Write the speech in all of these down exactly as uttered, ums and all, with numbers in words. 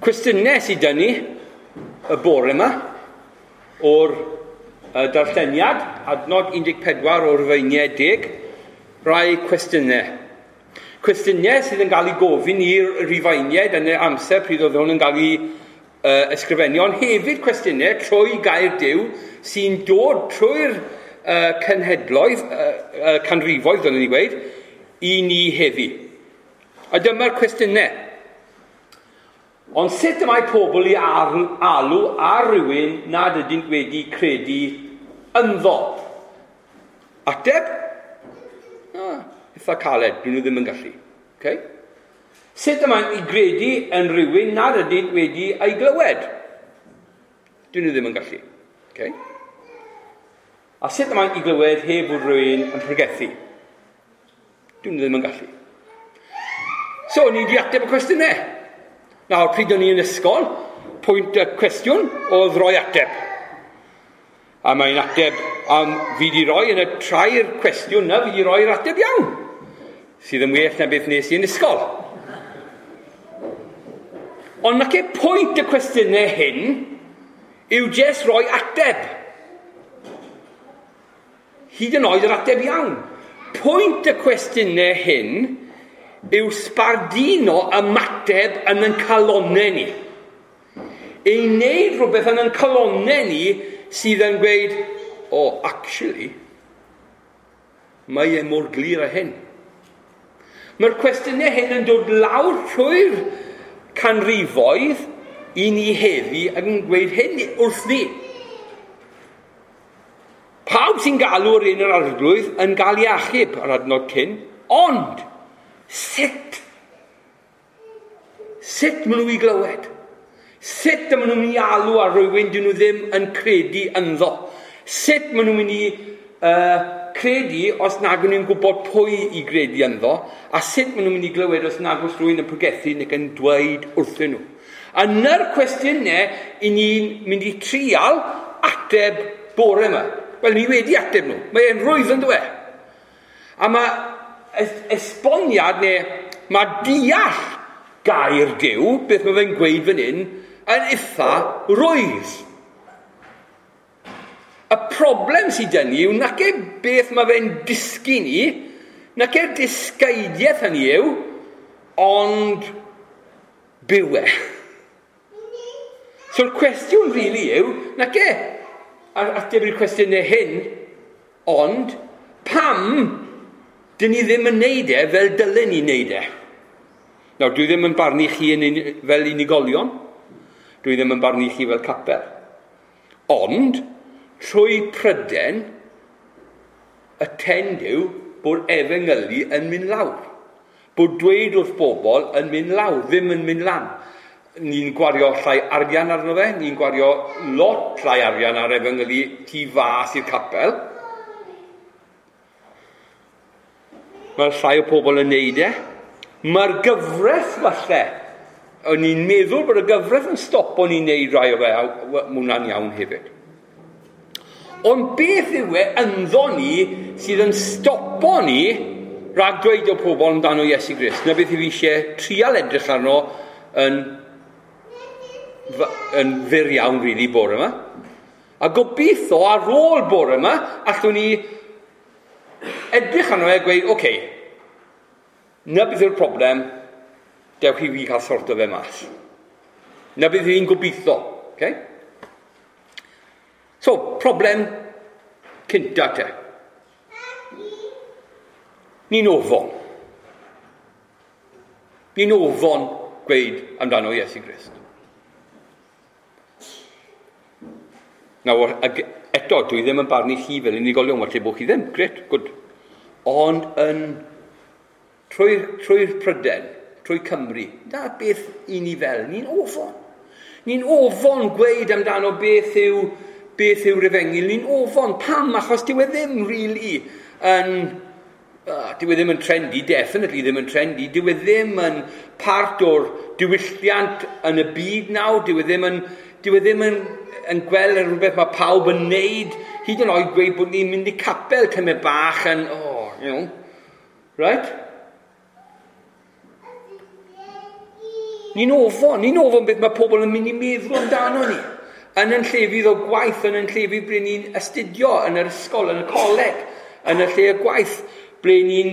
Cwestiynau sydd dyn ni y bore yma o'r darlleniad, adnod un deg pedwar o'r Rhufeiniaid deg, rai cwestiynau. Cwestiynau sydd yn cael ei gofyn i'r Rhufeiniaid yn y amser pryd oedd hwn yn cael ei uh, ysgrifennu, ond hefyd cwestiynau trwy gair Duw sy'n dod trwy'r uh, cenhedloedd, uh, uh, canrifoedd, dylwn ni gweud, i ni heddi. A dyma'r cwestiynau. Ond sut y mae pobl i alw ar rywun nad ydynt wedi credu ynddo? Ateb? Ah, eitha caled, dyn nhw ddim yn gallu. Okay? Sut y mae'n i gredu yn rhywun nad ydynt wedi ei glywed? Dyn nhw ddim yn gallu. Okay? A sut y mae'n i glywed heb fod rhywun yn pregethu? Dyn nhw ddim yn gallu. So, ni wedi ateb y cwestiynau. Nawr, pryd o'n i yn ysgol, pwynt y cwestiwn oedd rhoi ateb. A mae'n ateb, am fi wedi rhoi yn y trair cwestiwn na, fi wedi rhoi'r ateb iawn. Sydd yn well na beth nes i yn ysgol. Ond nac e pwynt y cwestiynau hyn yw jyst rhoi ateb. Hyd yn oed yr ateb iawn. Pwynt y cwestiynau hyn yw sbardino ymateb yn ein calonnau ni. Ei wneud rhywbeth yn ein calonnau ni sydd yn gweud, oh, actually, mae e mor glir â hyn. Mae'r cwestiynau hyn yn dod lawr trwy'r canrifoedd i ni heddi ac yn gweud hyn wrth ni. Pawb sy'n galw ar un yr arglwydd yn gael ei achub ar adnod cyn, ond sut? Sut maen nhw i glywed? Sut maen nhw'n mynd i alw ar rhywun dyn nhw ddim yn credu ynddo? Sut maen nhw'n mynd i uh, credu os nag nhw'n gwybod pwy i gredu ynddo? A sut maen nhw'n mynd i glywed os nag oes rhywun yn pregethu neu yn dweud wrthyn nhw? A ny'r cwestiynau i ni'n mynd i trial ateb bore yma. Wel, ni wedi ateb nhw. Mae e'n rwydd yn dweud. A mae esboniad neu mae deall gair Duw, beth mae fe'n gweud fan hyn, yn eitha rwydd. Y problem sydd dyn ni yw nac e beth mae fe'n dysgu ni, nac e'r dysgeidiaeth hynny yw, ond byw e. So'r cwestiwn really yw, nac e ateb i'r cwestiynau hyn, ond pam dyn ni ddim yn neud e fel dylen ni neud e? Nawr, dwi ddim yn barnu chi yn un, fel unigolion. Dwi ddim yn barnu chi fel capel. Ond, trwy pryden, y tend yw bod efengylu yn mynd lawr. Bod dweud wrth bobl yn mynd lawr, ddim yn mynd lan. Ni'n gwario llai arian arno fe, ni'n gwario lot llai arian ar efengylu tu fas i'r capel. Mae llai o pobl yn neud e. Mae'r gyfraith falle, o'n i'n meddwl bod y gyfraith yn stopo ni'n neud rai o fe, a mae hwnna'n iawn hefyd. Ond beth yw e ynddo ni sydd yn stopo ni rhag dweud o pobl amdano Iesu Grist? Na beth i fi eisiau trial edrych arno yn, yn fyr iawn, really, bore yma. A gobeithio ar ôl bore yma, allwn ni edrych arno e a gweud, oce, okay, na beth yw'r problem, dewch i fi cael sorto fe mas. Na beth yw'n gobeithio. Okay? So, problem cynta te. Ni'n ofon. Ni'n ofon gweud amdano Iesu Grist. Nawr, eto, dwi ddim yn barnu chi fel unigolion, falle bod chi ddim, gret, good. Ond yn trwy'r trwy Pryden, trwy Cymru, na beth i ni fel, ni'n ofon. Ni'n ofon gweud amdano beth yw beth yw'r efengyl, ni'n ofon. Pam? Achos dyw e ddim really yn, uh, dyw e ddim yn trendy, definitely ddim yn trendy, dyw e ddim yn part o'r diwylliant yn y byd nawr, dyw e ddim yn, dyw e ddim yn, yn gweld rhywbeth mae pawb yn neud, hyd yn oed gweud bod ni'n mynd i capel tymed bach yn, oh, you know, right? Ni'n ofon, ni'n ofon beth mae pobl yn mynd i meddwl amdano ni. Yn yn llefydd o gwaith, yn yn llefydd ble ni'n astudio, yn yr ysgol, yn y coleg, yn y lle y gwaith, ble ni'n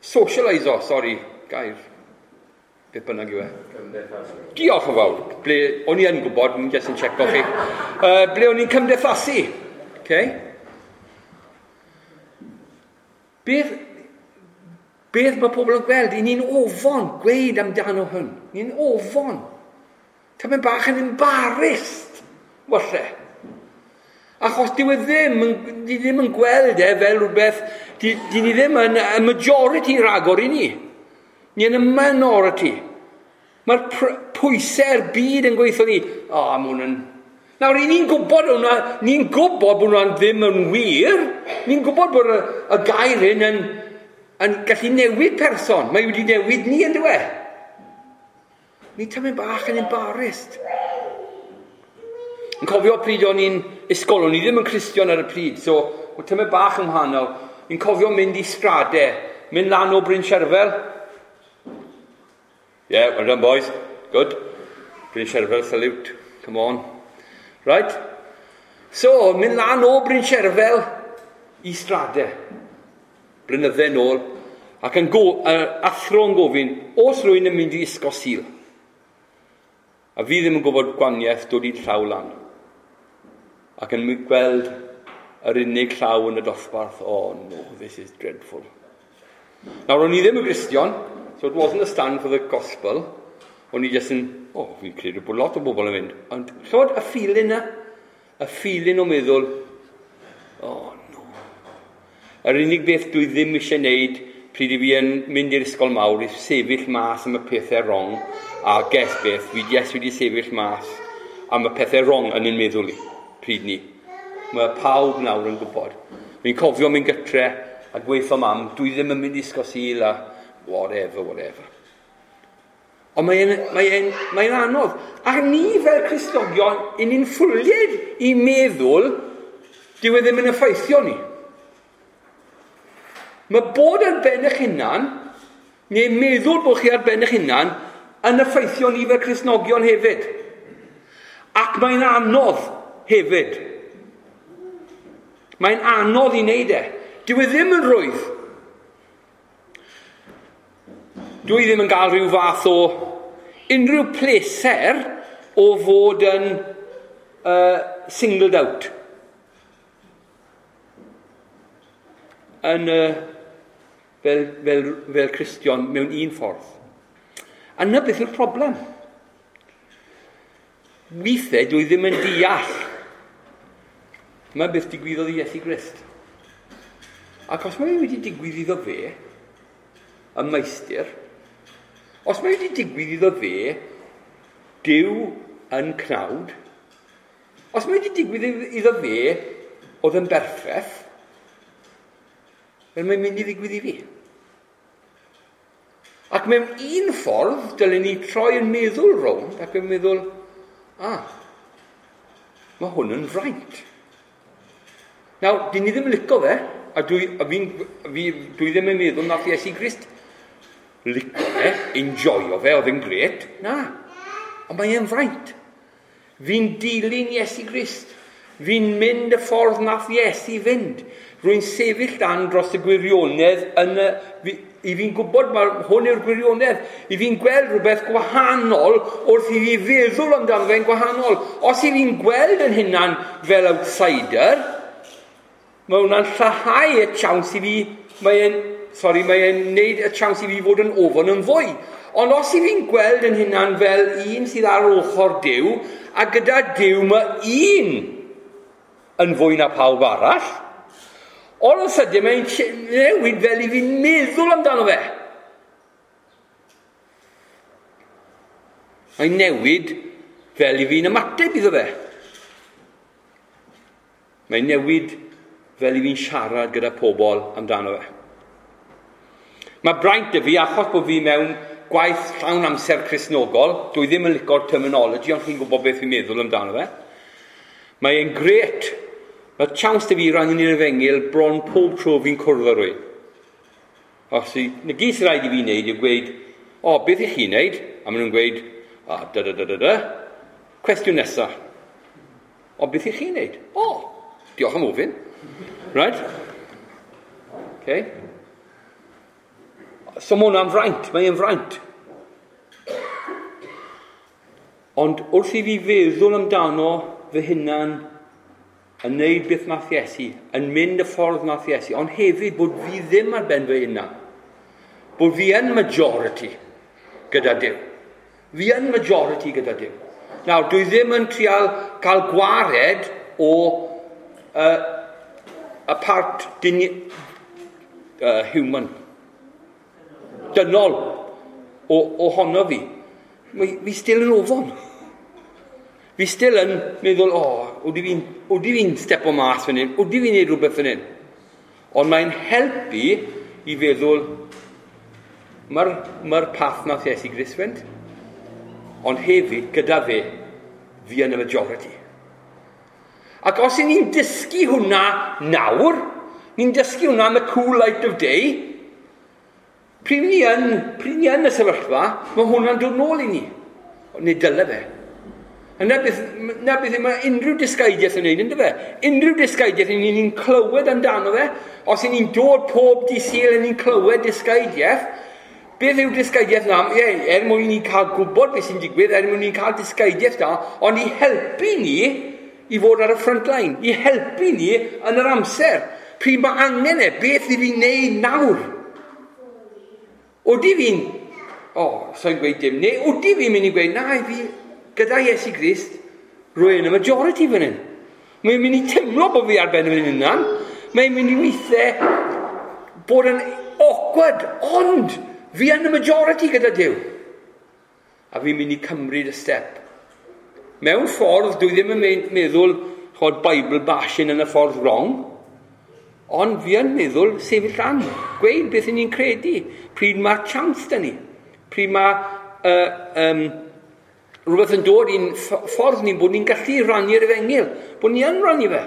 socialiso, sori, gair, beth bynnag yw e. Cymdeithasu. Diolch yn fawr. Ble, o'n i yn gwybod, ni'n jyst yn checo chi. Uh, ble o'n i'n cymdeithasu. Okay? Beth, beth mae pobl yn gweld? I ni'n ofon gweud amdano hwn. Ni'n ofon. Tamed bach yn embarrassed, falle. Achos dyw e ddim, di ddim yn gweld e fel rhywbeth, di, di ni ddim yn y majority ragor i ni. Ni yn y minority. Mae'r pwysau'r byd yn gweithio ni. O, oh, mae hwn yn... Nawr, i ni'n gwybod hwnna, ni'n gwybod bod hwnna'n ddim yn wir. Ni'n gwybod bod y, y gair hyn yn, yn gallu newid person. Mae wedi newid ni yn dywe. Ni tamed bach yn embarrassed. Yn cofio pryd o'n i'n ysgol, o'n i ddim yn Cristion ar y pryd, so o'n tamed bach yn wahanol. Ni'n cofio mynd i Strade, mynd lan o Bryn Sherfel. Yeah, well done boys. Good. Bryn Sherfel, salute. Come on. Right? So, mynd lan o Bryn Sherfel i Strade. Blynydde nôl. Ac yn go, uh, athro yn gofyn, oes rhywun yn mynd i ysgol Sul? A fi ddim yn gwybod gwaniaeth dod i'n llaw lan. Ac yn gweld yr unig llaw yn y dosbarth, oh no, this is dreadful. Nawr, o'n i ddim yn Gristion, so it wasn't a stand for the gospel. O'n i jyst yn, oh, fi'n credu bod lot o bobl yn mynd. Ond, chymod, y feeling na, y feeling o meddwl, oh no. Yr unig beth dwi ddim eisiau wneud pryd i fi yn mynd i'r ysgol mawr i sefyll mas am y pethau wrong, a guess beth, fi yes wedi sefyll mas am y pethau wrong yn ein meddwl i, pryd ni. Mae pawb nawr yn gwybod. Fi'n cofio mynd gytre a gweithio mam, dwi ddim yn mynd i ysgol Sul a whatever, whatever. Ond mae'n mae mae anodd. A ni fel Cristnogion, i ni'n ffwlied i meddwl, dyw e ddim yn effeithio ni. Mae bod ar ben eich hunan, neu meddwl bod chi ar ben eich hunan, yn effeithio ni fel Cristnogion hefyd. Ac mae'n anodd hefyd. Mae'n anodd i wneud e. Dyw e ddim yn rhwydd. Dwi ddim yn cael rhyw fath o unrhyw pleser o fod yn uh, singled out. Yn, uh, fel, fel, fel Cristion mewn un ffordd. A na beth yw'r problem. Weithiau dwi ddim yn deall. Mae beth digwyddodd i Iesu Grist. Ac os mae wedi digwydd iddo fe, y meistr, os mae wedi digwydd iddo fe, Duw yn cnawd, os mae wedi digwydd iddo fe, oedd yn berffaith, fel mae'n mynd i ddigwydd i fi. Ac mewn un ffordd, dylen ni troi yn meddwl rownd, ac yn meddwl, ah, mae hwn yn fraint. Nawr, dyn ni ddim yn licio fe, a dwi, a fi'n, fi, dwi ddim yn meddwl nath Iesu Grist licio fe, enjoyo fe, oedd yn gret. Na, ond mae e'n fraint. Fi'n dilyn Iesu Grist. Fi'n mynd y ffordd nath Iesu fynd. Rwy'n sefyll dan dros y gwirionedd yn y, fi, i fi'n gwybod mae hwn yw'r gwirionedd. I fi'n gweld rhywbeth gwahanol wrth i fi feddwl amdano fe'n gwahanol. Os i fi'n gweld yn hunan fel outsider, mae hwnna'n lleihau y chance i fi, mae'n, sorry, mae'n neud y chance i fi fod yn ofon yn fwy. Ond os i fi'n gweld yn hunan fel un sydd ar ochr Duw, a gyda Duw mae un yn fwy na pawb arall, all of a sudden mae'n newid fel i fi'n meddwl amdano fe. Mae'n newid fel i fi'n ymateb iddo fe. Mae'n newid fel i fi'n siarad gyda pobl amdano fe. Mae braint y fi, achos bod fi mewn gwaith llawn amser Cristnogol, dwi ddim yn licio'r terminology, ond chi'n gwybod beth fi'n meddwl amdano fe. Mae'n gret. Mae chance dy fi rannu'n i'r efengyl bron pob tro fi'n cwrdd â rhywun. Os i, na gyd sy'n rhaid i fi wneud yw gweud, O, beth i chi'n neud? A maen nhw'n gweud, o, da, da, da, da, da. Cwestiwn nesaf. O, beth i chi'n neud? O, diolch am ofyn. Right? Okay. So mae hwnna'n fraint, mae'n fraint. Ond wrth i fi feddwl amdano fy hunan yn neud beth nath Iesu, yn mynd y ffordd nath Iesu, ond hefyd bod fi ddim ar ben fy hunan. Bod fi yn majority gyda Duw. Fi yn majority gyda Duw. Nawr, dwi ddim yn trial cael gwared o uh, y part dyn, uh, human, dynol o, ohono fi. Fi, fi still yn ofon. Fi still yn meddwl, o, oh, ydy fi'n fi'n stepo mas fan hyn, ydy fi'n neud rhywbeth fan hyn. Ond mae'n helpu i feddwl, mae'r mae path nath Iesu Grist fynd, ond hefyd, gyda fe, fi yn y majority. Ac os y'n ni'n dysgu hwnna nawr, ni'n dysgu hwnna yn the cool light of day, pryd ni yn, pryd ni yn y sefyllfa, mae hwnna'n dod nôl i ni. Neu dyle fe. A na beth, na beth mae unrhyw dysgaidiaeth yn neud, ynddo fe? Unrhyw dysgaidiaeth yn ni'n clywed amdano fe. Os y'n ni'n dod pob dydd Sul yn ni'n clywed dysgaidiaeth, beth yw dysgaidiaeth na? Ie, er mwyn ni cael gwybod beth sy'n digwydd, er mwyn ni cael dysgaidiaeth da, ond i helpu ni i fod ar y front line, i helpu ni yn yr amser. Pryd mae angen e, beth i fi wneud nawr? Odi fi'n, o, oh, so'n gweud dim, neu odi fi'n mynd i gweud, na, fi, gyda Iesu Grist, rwy'n y majority fan hyn. Mae'n mynd i teimlo bod fi ar ben fy hunan. Mae'n mynd i weithiau bod yn awkward, ond fi yn y majority gyda Duw. A fi'n mynd i cymryd y step. Mewn ffordd, dwi ddim yn meddwl chod Bible bashing yn y ffordd wrong, ond fi yn meddwl sefyll lan, gweud beth ni'n credu, pryd mae'r chance da ni, pryd mae uh, um, rhywbeth yn dod i'n ffordd ni, bod ni'n gallu rannu'r efengyl, bod ni yn rannu fe,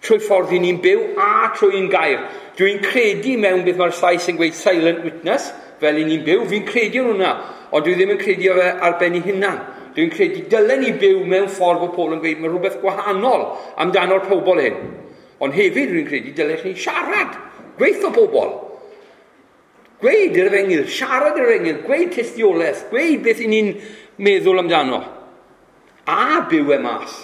trwy ffordd i ni'n byw a trwy'n gair. Dwi'n credu mewn beth mae'r Sais yn gweud silent witness, fel i ni'n byw, fi'n credu yn hwnna, ond dwi ddim yn credu fe ar ben ei hunan. Dwi'n credu dylen ni byw mewn ffordd bod pobl yn gweud mae rhywbeth gwahanol amdano'r pobl hyn. Ond hefyd dwi'n credu dylech chi siarad, gweithio pobl. Gweud yr efengyl, siarad yr efengyl, gweud tystiolaeth, gweud beth i ni'n meddwl amdano. A byw e mas.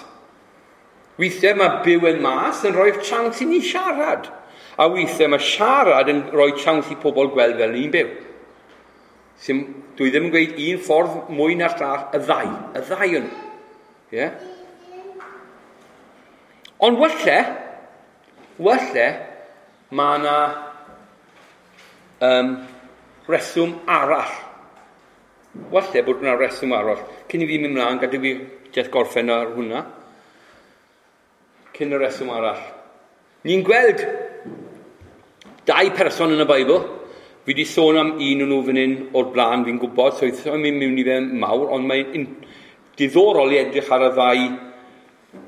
Weithiau mae byw e mas yn rhoi'r chance i ni siarad. A weithiau mae siarad yn rhoi chance i pobl gweld fel ni'n byw. Sim, dwi ddim yn gweud un ffordd mwy na'r llall, y ddau. Y ddau yn. Yeah? Ond walle, walle, mae yna um, reswm arall. Walle bod yna reswm arall. Cyn i fi mynd mlaen, gadw fi jyst gorffen ar hwnna. Cyn y reswm arall. Ni'n gweld dau person yn y Beibl. Fi wedi sôn am un o'n nhw fan hyn o'r blaen, fi'n gwybod, so i'n mynd mewn i fe mawr, ond mae'n diddorol i edrych ar y ddau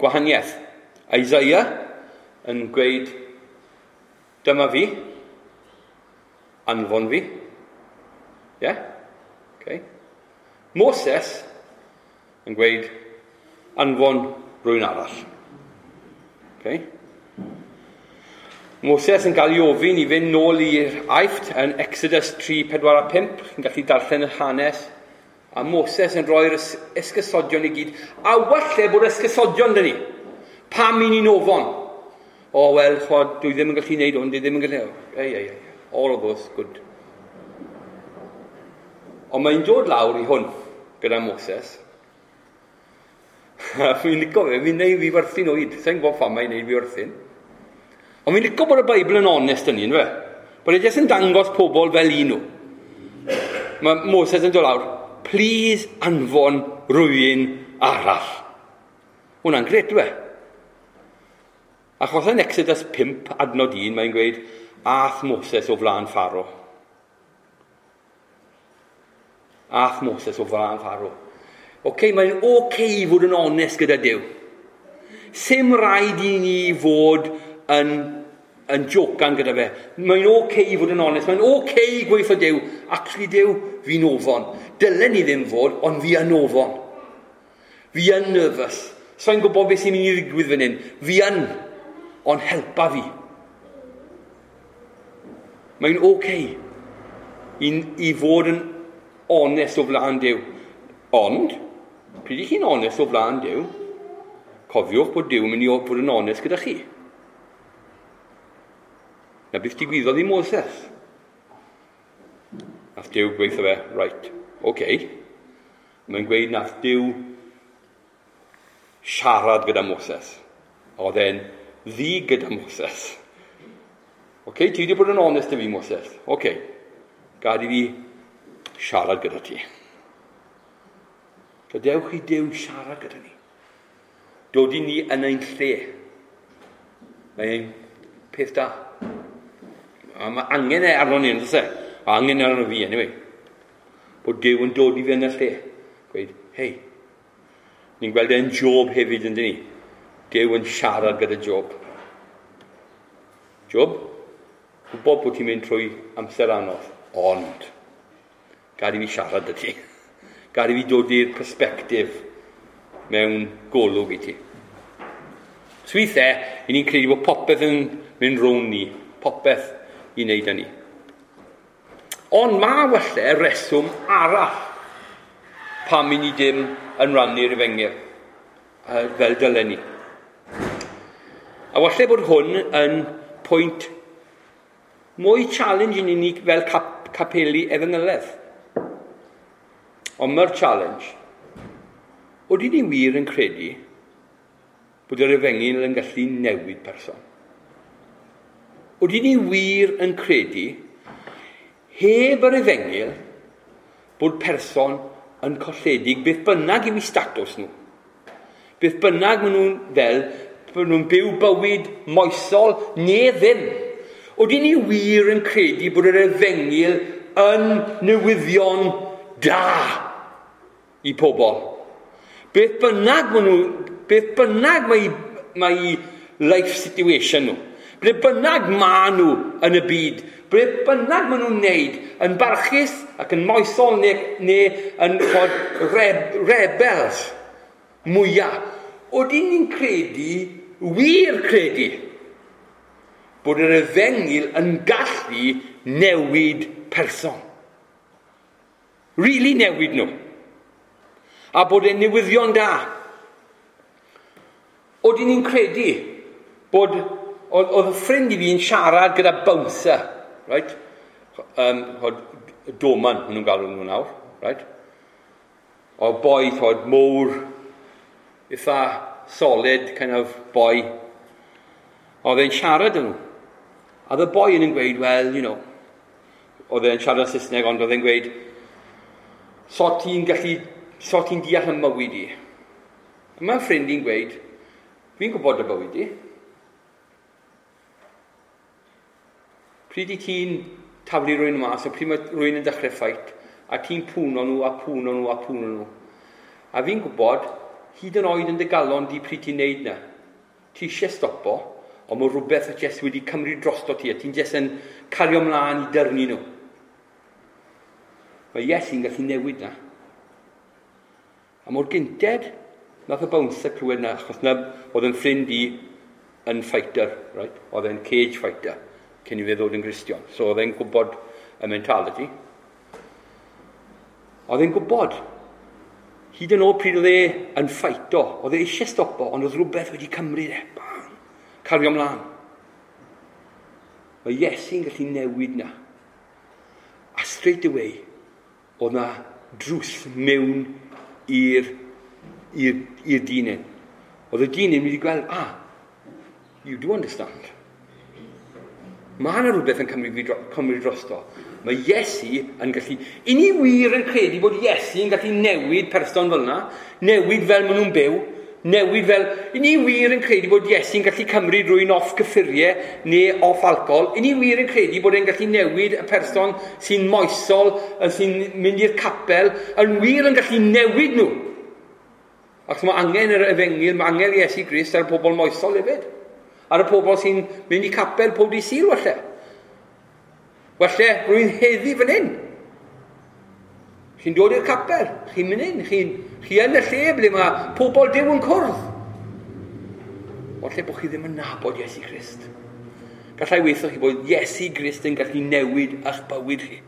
gwahaniaeth. Isaiah yn gweud, dyma fi, anfon fi. Yeah? Okay. Moses yn gweud, anfon rhywun arall. Okay. Moses yn cael ei ofyn i fynd nôl i'r Aifft yn Exodus tri, pedwar a pump. Chi'n gallu darllen y hanes. A Moses yn rhoi'r esgusodion i gyd. A walle bod esgusodion dyn ni. Pam i ni'n ofon? O, oh, wel, chwad, dwi ddim yn gallu gwneud hwn, dwi ddim yn gallu... Ei, ei, ei, all of those, good. Ond mae'n dod lawr i hwn gyda Moses. Fi'n licio fe, fi'n neud fi werthu'n oed. Sa'n gwybod pham mae'n neud fi werthu'n. Ond fi'n licio bod y Beibl yn onest yn un, fe. Bod e jyst yn dangos pobl fel un nhw. Mae Moses yn dod lawr, please anfon rhywun arall. Hwna'n gret, dwi. Achos yn Exodus pump, adnod un, mae'n gweud, ath Moses o flaen Pharaoh. Ath Moses o flaen Pharaoh. Oce, mae'n oce i fod yn onest gyda Duw. Sim rhaid i ni fod yn yn jocan gyda fe. Mae'n oce okay i fod yn onest, mae'n oce okay i gweithio Duw. Actually Duw, fi'n ofon. Dylen ni ddim fod, ond fi yn ofon. Fi yn nervous. So'n gwybod beth sy'n mynd i ddigwydd fan hyn. Fi yn, ond helpa fi. Mae'n oce okay i, i fod yn onest o flaen Duw. Ond, pryd i chi'n onest o flaen Duw, cofiwch bod Duw yn mynd i fod yn onest gyda chi. Na beth digwyddodd i Moses. Nath Duw gweithio fe, right, oce. Okay. Mae'n gweud nath Duw siarad gyda Moses. Oedd e'n ddi gyda Moses. Oce, okay, ti wedi bod yn onest i fi, Moses. Oce, okay. Gad i fi siarad gyda ti. Gadewch i Duw siarad gyda ni. Dod i ni yn ein lle. Mae'n peth da. A mae angen e arno ni, yn e? A angen e arno fi, anyway. Bod Duw yn dod i fi yn y lle. Gweud, hei, ni'n gweld e'n Job hefyd, yn dyn ni. Duw yn siarad gyda Job. Job, gwybod bod ti'n mynd trwy amser anodd, ond gad i fi siarad â ti. Gad i fi dod i'r perspectif mewn golwg i ti. So weithiau, i ni'n credu bod popeth yn mynd rownd ni, popeth i wneud â ni. Ond mae falle reswm arall pam i ni dim yn rannu'r efengyl fel dylen ni. A falle bod hwn yn pwynt mwy challenge i ni fel cap capeli efengyledd. Ond mae'r challenge, oeddi ni wir yn credu bod yr efengyl yn gallu newid person? Oeddi ni wir yn credu heb yr efengyl bod person yn colledig beth bynnag yw eu statws nhw. Beth bynnag maen nhw'n fel, bod nhw'n byw bywyd moesol neu ddim. Oeddi ni wir yn credu bod yr efengyl yn newyddion da i pobl? Beth bynnag maen nhw, beth bynnag mae, mae life situation nhw, beth bynnag ma nhw yn y byd, beth bynnag maen nhw'n neud yn barchus ac yn moesol neu, neu yn chod, reb, rebels mwyaf. Oeddi ni'n credu, wir credu, bod yr efengyl yn gallu newid person. Really newid nhw. A bod e'n newyddion da. Oeddi ni'n credu bod oedd, oedd y ffrind i fi yn siarad gyda bouncer, right? Um, oedd doman, maen nhw'n galw nhw nawr, right? O boi, oedd mowr, eitha solid kind of boy. Oedd e'n siarad â nhw. A oedd y boi yn gweud, well, you know, oedd e'n siarad Saesneg, ond oedd e'n gweud, so ti'n gallu, so ti'n deall y mywyd i. A mae'n ffrind i'n gweud, fi'n gwybod y bywyd i. Pryd i ti'n taflu rhywun mas, a pryd mae rhywun yn dechrau ffait, a ti'n pwno nhw, a pwno nhw, a pwno nhw. A fi'n gwybod, hyd yn oed yn dy galon di pryd ti'n neud na. Ti eisiau stopo, ond mae rhywbeth a jyst wedi cymryd drosto ti, a ti'n jyst yn cario ymlaen i dyrnu nhw. Mae Iesu'n gallu newid na. A mor gynted, nath y bouncer clywed na, achos na oedd yn ffrind i yn fighter, right? Oedd e'n cage fighter, cyn i fe ddod yn Gristion. So oedd e'n gwybod y mentality. Oedd e'n gwybod, hyd yn oed pryd oedd e yn ffeito, oedd e eisiau stopo, ond oedd rhywbeth wedi cymryd e. Bang! Cario ymlaen. Mae Iesu'n gallu newid na. A straight away, oedd na drws mewn i'r i'r i'r dyn hyn. Oedd y dyn hyn wedi gweld, ah, you do understand. Mae yna rhywbeth yn cymryd, cymryd drosto. Mae Iesu yn gallu... I ni wir yn credu bod Iesu yn gallu newid person fel yna, newid fel maen nhw'n byw, newid fel... I ni wir yn credu bod Iesu'n gallu cymryd rhywun off cyffuriau neu off alcohol. I ni wir yn credu bod e'n gallu newid y person sy'n moesol, sy'n mynd i'r capel, yn wir yn gallu newid nhw. Ac mae angen yr efengyl, mae angen Iesu Grist ar pobl moesol hefyd. Ar y pobl sy'n mynd i capel pob dydd Sul, falle. Falle rwy'n heddi fan hyn. Chi'n dod i'r capel, chi'n mynd hyn, chi'n chi yn y lle ble mae pobl Duw yn cwrdd. Falle bod chi ddim yn nabod Iesu Grist. Gallai weithio chi bod Iesu Grist yn gallu newid eich bywyd chi.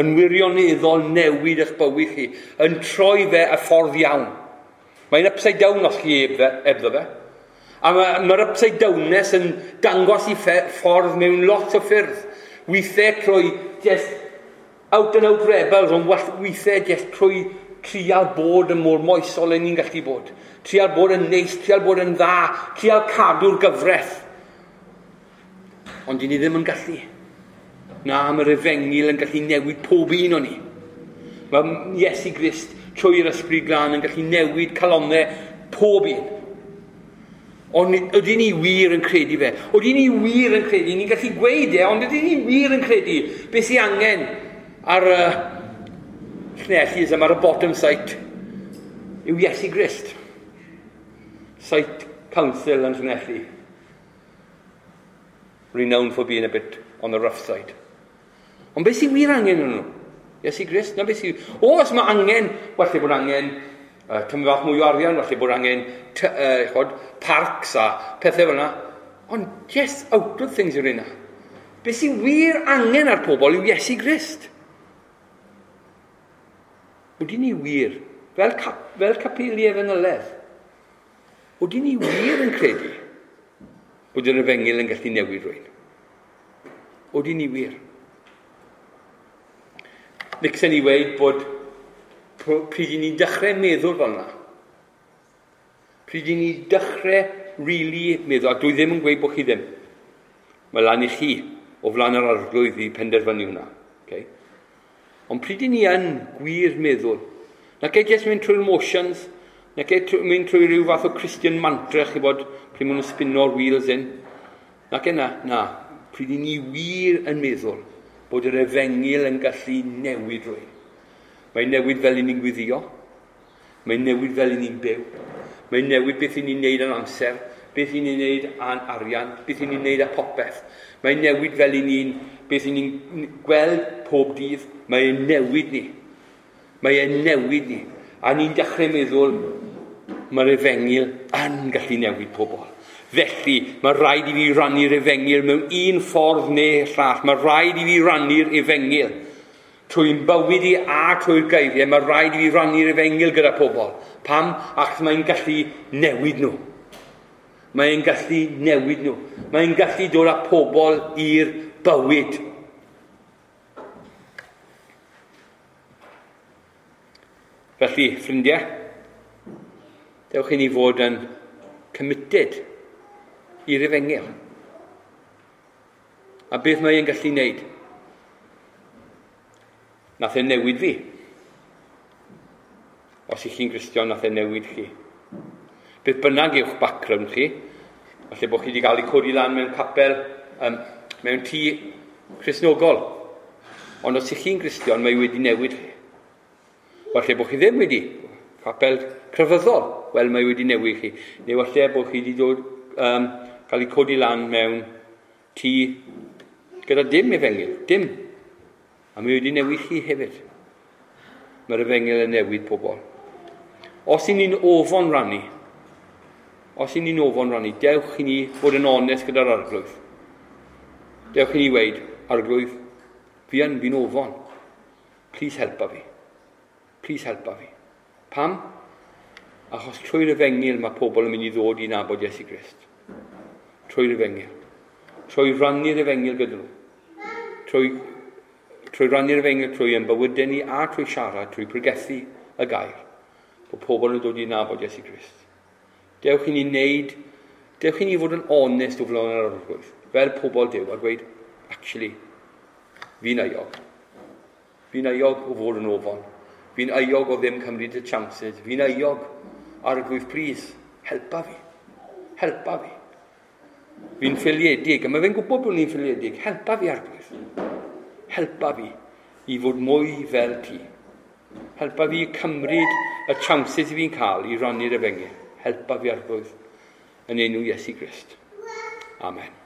Yn wirioneddol newid eich bywyd chi. Yn troi fe y ffordd iawn. Mae'n upside down os chi ebddo fe. A mae'r ma upside downness yn dangos i ffordd mewn lot o ffyrdd. Weithiau trwy just out and out rebels, ond weithiau just trwy trial bod yn mor moesol yn ni'n gallu bod. Trial bod yn neis, trial bod yn dda, trial cadw'r gyfraith. Ond dyn ni ddim yn gallu. Na, mae'r efengyl yn gallu newid pob un o'n ni. Mae Iesu Grist trwy'r Ysbryd Glân yn gallu newid calonnau pob un. Ond ydyn ni wir yn credu fe? Ydyn ni wir yn credu? Ni'n gallu gweud e, ond ydyn ni wir yn credu beth sy'n angen ar y uh, Llanelli, ar y bottom site, yw Iesu Grist. Site Council yn Llanelli. Renowned for being a bit on the rough side. Ond beth sy'n wir angen yn nhw? Iesu Grist? Na beth sy'n... O, os mae angen, falle bod angen uh, tymor bach mwy o arian, falle bod angen t, uh, chod, parks a pethau fel yna. Ond just outward things yw'r yna. Beth sy'n wir angen ar pobl yw Iesu Grist. Wydyn ni wir, fel, cap, fel capeli efengyledd, wydyn ni wir yn credu bod yr efengyl yn gallu newid rhywun? Wydyn ni wir? Licsen i weud bod pryd i ni'n dechrau meddwl fel yna, pryd i ni dechrau really meddwl, a dwi ddim yn gweud bod chi ddim, mae lan i chi o flaen yr Arglwydd i penderfynu hwnna. Okay? Ond pryd i ni yn gwir meddwl, na gei jyst mynd trwy'r motions, na gei mynd trwy rhyw fath o Christian mantra, chi bod, pryd maen nhw'n spino'r wheels in. Na gei na, na, pryd i ni wir yn meddwl bod yr efengyl yn gallu newid rhywun. Mae'n newid fel i ni'n gwyddio, mae'n newid fel i ni'n byw, mae'n newid beth i ni'n neud yn amser, beth i ni'n neud a'n arian, beth i ni'n neud â popeth. Mae'n newid fel i ni'n, beth i ni'n gweld pob dydd, mae'n newid ni. Mae'n newid ni. A ni'n dechrau meddwl, mae'r efengyl yn gallu newid pobl. Felly, mae rhaid i fi rannu'r efengyl mewn un ffordd neu llall. Mae rhaid i fi rannu'r efengyl. Trwy'n bywyd i a trwy'r geiriau, mae rhaid i fi rannu'r efengyl gyda pobl. Pam? Achos mae'n gallu newid nhw. Mae'n gallu newid nhw. Mae'n gallu dod â pobl i'r bywyd. Felly, ffrindiau, dewch i ni fod yn committed i'r efengyl. A beth mae'n gallu wneud? Nath e newid fi. Os ych chi'n Gristion, nath e newid chi. Beth bynnag yw'ch background chi, falle bod chi wedi cael ei codi lan mewn capel, um, mewn tŷ Cristnogol. Ond os ych chi'n Gristion, mae wedi newid chi. Falle bod chi ddim wedi, capel crefyddol, wel mae wedi newid chi. Neu falle bod chi wedi dod, um, cael ei codi lan mewn tŷ gyda dim efengyl, dim. A mae wedi newid chi hefyd. Mae'r efengyl yn newid pobl. Os i ni'n ofon rannu, os i ni'n ofon rannu, dewch i ni fod yn onest gyda'r Arglwydd. Dewch i ni weud, Arglwydd, fi yn, fi'n ofon. Please helpa fi. Please helpa fi. Pam? Achos trwy'r efengyl mae pobl yn mynd i ddod i nabod Iesu Grist. Trwy'r efengyl. Trwy rannu'r efengyl gyda nhw. Trwy, trwy rannu'r efengyl, trwy ein bywydau ni a trwy siarad, trwy pregethu y gair. Bod pobl yn dod i nabod Iesu Grist. Dewch i ni wneud, dewch i ni fod yn onest o flaen yr Arglwydd, fel pobl Duw, a gweud, actually, fi'n euog. Fi'n euog o fod yn ofon. Fi'n euog o ddim cymryd y chances. Fi'n euog. Arglwydd, please, helpa fi. Helpa fi. Fi'n ffiliedig, a mae fe'n gwybod bod ni'n ffiliedig. Helpa fi, Arglwydd. Helpa fi i fod mwy fel ti. Helpa fi cymryd y chances i fi'n cael i rannu'r efengyl. Helpa fi, Arglwydd, yn enw Iesu Grist. Amen.